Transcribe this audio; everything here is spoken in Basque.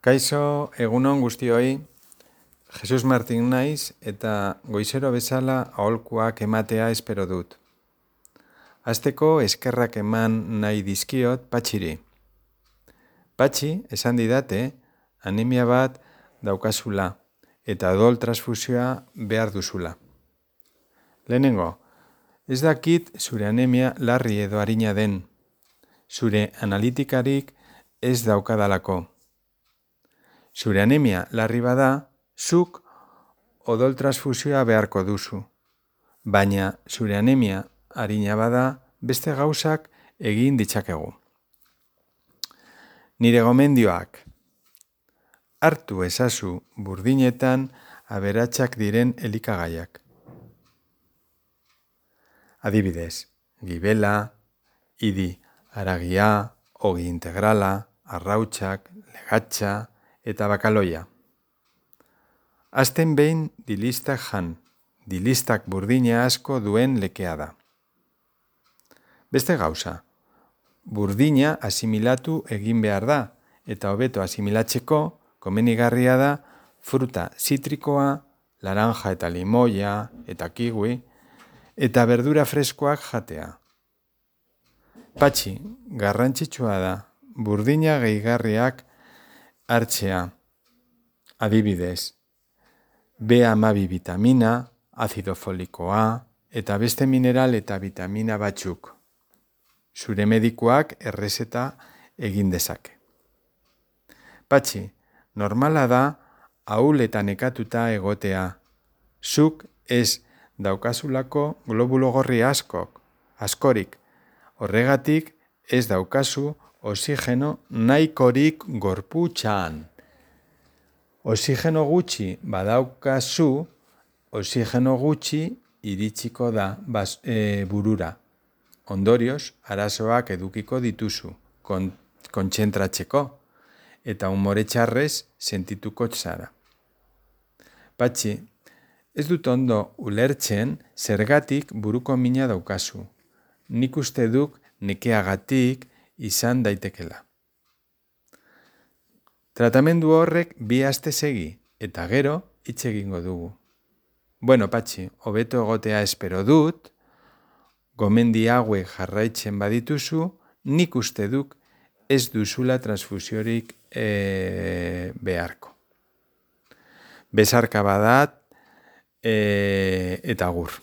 Kaixo, egunon guztioi, Jesus Martin naiz eta goizero bezala aholkuak ematea espero dut. Hasteko eskerrak eman nahi dizkiot Patxiri. Patxi, esan didate, anemia bat daukazula eta odol transfusioa behar duzula. Lehenengo, ez dakit zure anemia larri edo arina den, zure analitikarik ez daukadalako. Zure anemia larri bada, zuk odol transfusioa beharko duzu. Baina zure anemia arina bada, beste gauzak egin ditzakegu. Nire gomendioak. Hartu ezazu burdinetan aberatsak diren elikagaiak. Adibidez, gibela, idi haragia, ogi integrala, arrautsak, legatxa eta bakaloia. Azten behin dilistak jan, dilistak burdina asko duen lekea da. Beste gauza, burdina asimilatu egin behar da, eta hobeto asimilatzeko komenigarria da fruta zitrikoa, laranja eta limoia eta kiwi, eta berdura freskoak jatea. Patxi, garrantzitsua da, burdina gehigarriak hartzea. Adibidez, B12 vitamina, azido folikoa eta beste mineral eta vitamina batzuk. Zure medikuak errezeta egin dezake. Patxi, normala da ahul eta nekatuta egotea. Zuk ez daukazulako globulo gorri askorik. Horregatik ez daukazu oxigeno nahikorik gorputxan. Oxigeno gutxi badaukazu, oxigeno gutxi iritsiko da burura. Ondorioz, arazoak edukiko dituzu, kontzentratzeko, eta umore txarrez sentituko zara. Patxi, ez dut ondo ulertzen zergatik buruko mina daukazu. Nik uste duk nekeagatik izan daitekela. Tratamendu horrek 2 aste segi, eta gero hitz egingo dugu. Bueno, Patxi, hobeto egotea espero dut, gomendi hauek jarraitzen badituzu, nik uste duk ez duzula transfusiorik beharko. Besarka badat eta agur.